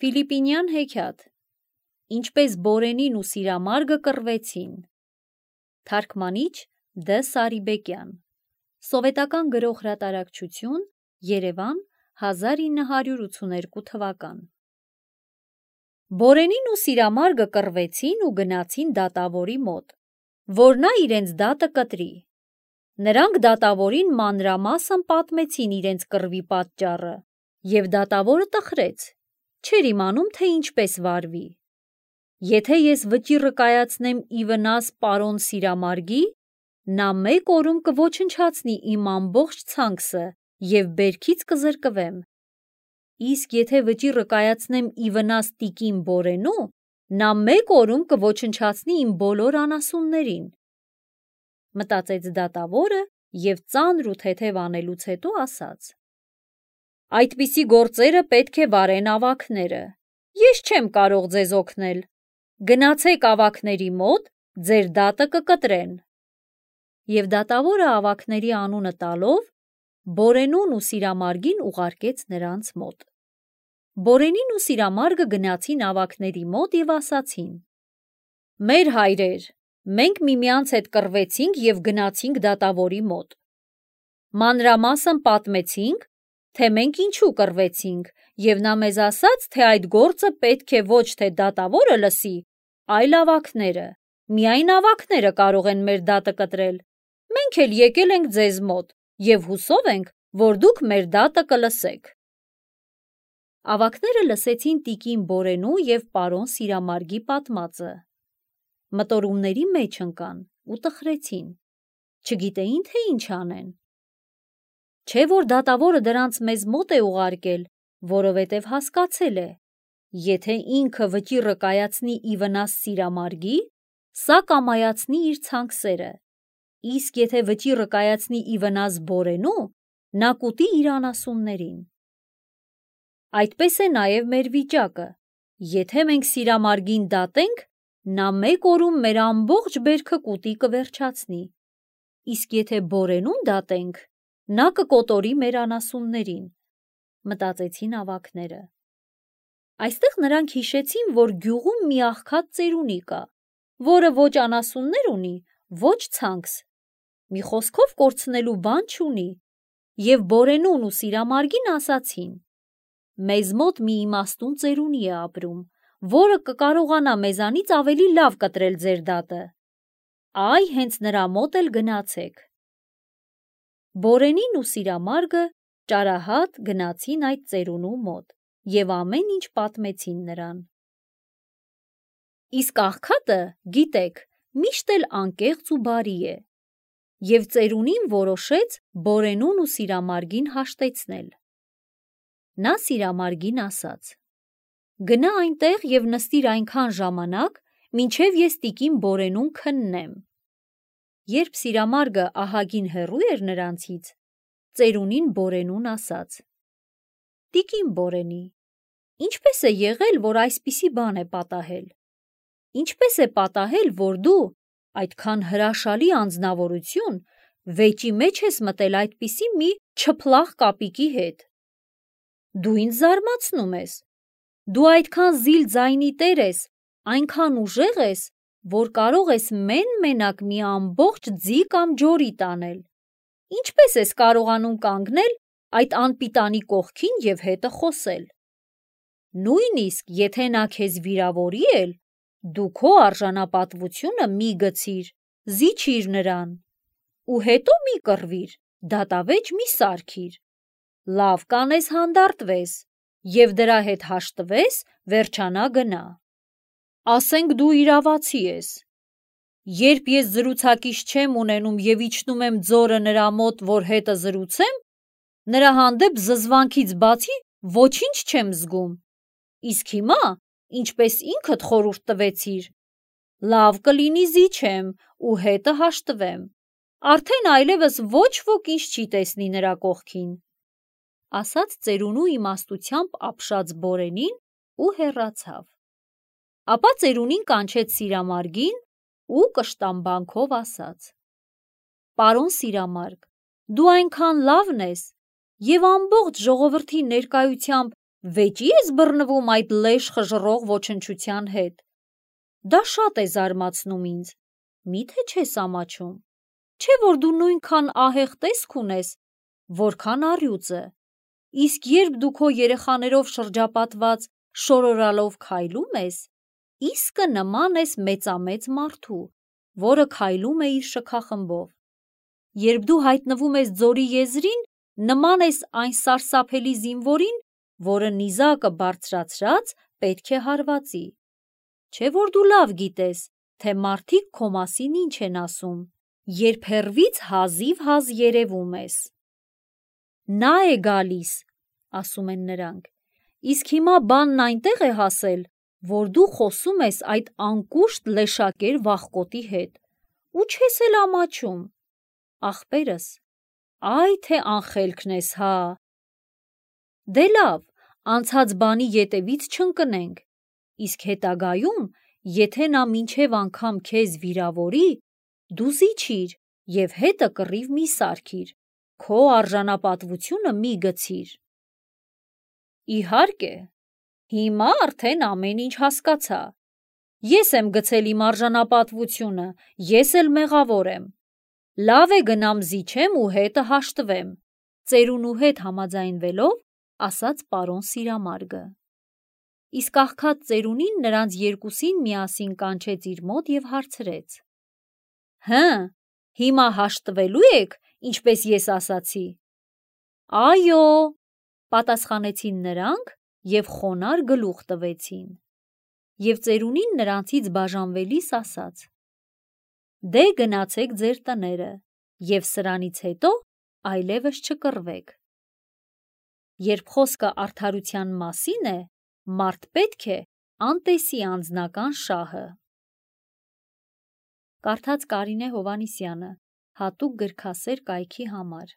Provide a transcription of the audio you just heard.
Ֆիլիպինյան հեքիաթ, ինչպես Բորենին ու Սիրամարգը կռվեցին։ Թարգմանիչ Դ. Սարիբեկյան, Սովետական գրող հրատարակչություն, Երևան, 1982 թվական։ Բորենին ու Սիրամարգը կռվեցին ու գնացին դատավորի մոտ, որ նա իրենց դատը կտրի։ Նրանք դատավորին մանրամասն պատմեցին իրենց կռվի պատճառը, և դատավորը տխրեց, չէր իմանում, թե ինչպես վարվի։ Եթե ես վճիռը կայացնեմ ի վնաս պարոն Սիրամարգի, նա մեկ օրում կոչնչացնի իմ ամբողջ ցանքսը և բերքից կզրկվեմ։ Իսկ եթե վճիռը կայացնեմ ի վնաս տիկին Բորենու, նա մեկ օրում կոչնչացնի իմ բոլոր անասուններին։ Մտածեց դատավորը և ծանր ու թեթև անելուց հետո ասաց. այդպիսի գործերը պետք է վարեն ավագները, ես չեմ կարող ձեզ օգնել, գնացեք ավագների մոտ, ձեր դատը կկտրեն։ Եվ դատավորը ավագների անունը տալով, Բորենուն ու Սիրամարգին ուղարկեց նրանց մոտ։ Բորենին ու Սիրամարգը գնացին ավագների մոտ և ասացին. մեր հայրեր, մենք միմյանց հետ կռվեցինք և գնացինք դատավորի մոտ։ Մանրամասն պատմեցինք, թե մենք ինչու կռվեցինք, և նա մեզ ասաց, թե այդ գործը պետք է ոչ թե դատավորը լսի, այլ ավագները, միայն ավագները կարող են մեր դատը կտրել, մենք էլ եկել ենք ձեզ մոտ և հուսով ենք, որ դուք մեր դատը կլսեք։ Ավագները լսեցին տիկին Բորենու և պարոն Սիրամարգի պատմածը։ Մտորումների մեջ ընկան ու տխրեցին, չգիտեին, թե ինչ անեն։ Չէ որ դատավորը դրանց մեզ մոտ է ուղարկել, որովհետև հասկացել է, եթե ինքը վճիռը կայացնի ի վնաս Սիրամարգի, սա կամայացնի իր ցանքսերը, իսկ եթե վճիռը կայացնի ի վնաս Բորենու, նա կուտի իր անասուններին։ Այդպես է նաև մեր վիճակը, եթե մենք Սիրամարգին դատենք, նա մեկ օրում մեր ամբողջ բերքը կուտի կվերջացնի, իսկ եթե Բորենուն դատենք, նա կկոտորի մեր անասուններին, մտածեցին ավագները։ Այստեղ նրանք հիշեցին, որ գյուղում մի աղքատ ծերունի կա, որը ոչ անասուններ ունի, ոչ ցանքս, մի խոսքով կորցնելու բան չունի, և Բորենուն ու Սիրամարգին ասացին. մեզ մոտ մի իմաստուն ծերունի է ապրում, որը կկարողանա մեզանից ավելի լավ կտրել ձեր դատը։ Այ հենց նրա մոտ էլ գնացեք։ Բորենին ու Սիրամարգը ճարահատ գնացին այդ ծերունու մոտ և ամեն ինչ պատմեցին նրան։ Իսկ աղքատը, գիտեք, միշտ էլ անկեղծ ու բարի է, և ծերունին որոշեց Բորենուն ու Սիրամարգին հաշտեցնել։ Նա Սիրամարգին ասաց. գնա այնտեղ և նստիր այնքան ժամանակ, մինչև ես տիկին Բորենուն քննեմ։ Երբ Սիրամարգը ահագին հեռու էր նրանցից, ծերունին Բորենուն ասաց. տիկին Բորենի, ինչպես է եղել, որ այսպիսի բան է պատահել։ Ինչպես է պատահել, որ դու, այդքան հրաշալի անձնավորություն, վեճի մեջ ես մտել այդպիսի մի չփլախ կապիկի հետ։ Դու ինձ զարմացնում ես։ Դու այդքան զիլ ձայնի տեր ես, այնքան ուժեղ ես, որ կարող ես մեն-մենակ մի ամբողջ ձի կամ ջորի տանել։ Ինչպես ես կարողանում կանգնել այդ անպիտանի կողքին և հետը խոսել։ Նույնիսկ եթե նա քեզ վիրավորի էլ, դու քո արժանապատվությունը մի գցիր, զիջիր նրան, ու հետո մի կռվիր, դատավեճ մի սարքիր, լավ կանես հանդարտվես և դրա հետ հաշտվես, վերջանա գնա։ Ասենք դու իրավացի ես։ Երբ ես զրուցակից չեմ ունենում և իջնում եմ ձորը նրա մոտ, որ հետը զրուցեմ, նրա հանդեպ զզվանքից բացի ոչինչ չեմ զգում։ Իսկ հիմա, ինչպես ինքդ խորհուրդ տվեցիր, լավ կլինի զիջեմ ու հետը հաշտվեմ, արդեն այլևս ոչ ոք ինձ չի տեսնի նրա կողքին, ասաց ծերունու իմաստությամբ ապշած Բորենին ու հեռացավ։ Ապա ծերունին կանչեց Սիրամարգին ու կշտամբանքով ասաց. պարոն Սիրամարգ, դու այնքան լավն ես և ամբողջ ժողովրդի ներկայությամբ Վեճի ես բռնվում այդ լեշ խժռող ոչնչության հետ։ Դա շատ է զարմացնում ինձ։ Միթե չես ամաչում։ Չէ՞ որ դու նույնքան ահեղ տեսք ունես, որքան առյուծը։ Իսկ երբ դու քո երեխաներով շրջապատված շորորալով քայլում ես, իսկը նման ես մեծամեծ մարդու, որը քայլում է իր շքախմբով։ Երբ դու հայտնվում ես ձորի եզրին, նման ես այն սարսափելի զինվորին, որը նիզակը բարձրացրած պետք է հարվածի։ Չէ՞ որ դու լավ գիտես, թե մարդիկ քո մասին ինչ են ասում, երբ հեռվից հազիվ երևում ես։ Նա է գալիս, ասում են նրանք, իսկ հիմա բանն այնտեղ է հասել, որ դու խոսում ես այդ անկուշտ լեշակեր վախկոտի հետ, ու չես էլ ամաչում։ Ախպերս, այ թե անխելքն ես, հա։ Դե լավ, անցած բանի ետևից չընկնենք, իսկ հետագայում, եթե նա մինչև անգամ քեզ վիրավորի, դու զիջիր և հետը կռիվ մի սարքիր, քո արժանապատվությունը մի գցիր։ Իհարկե, հիմա արդեն ամեն ինչ հասկացա։ Ես եմ գցել իմ արժանապատվությունը, ես էլ մեղավոր եմ։ Լավ է գնամ զիջեմ ու հետը հաշտվեմ, ծերունու հետ համաձայնվելով ասաց պարոն Սիրամարգը։ Իսկ աղքատ ծերունին նրանց երկուսին միասին կանչեց իր մոտ և հարցրեց. Հը, հիմա հաշտվելու եք, ինչպես ես ասացի։ Այո, պատասխանեցին նրանք և խոնարհ գլուխ տվեցին։ Եվ ծերունին նրանցից բաժանվելիս ասաց. Դե գնացեք ձեր տները և սրանից հետո այլևս չկռվեք։ Երբ խոսքը արդարության մասին է, մարդ պետք է անտեսի անձնական շահը։ Կարդաց Կարինե Հովհաննիսյանը, հատուկ գրքասեր կայքի համար։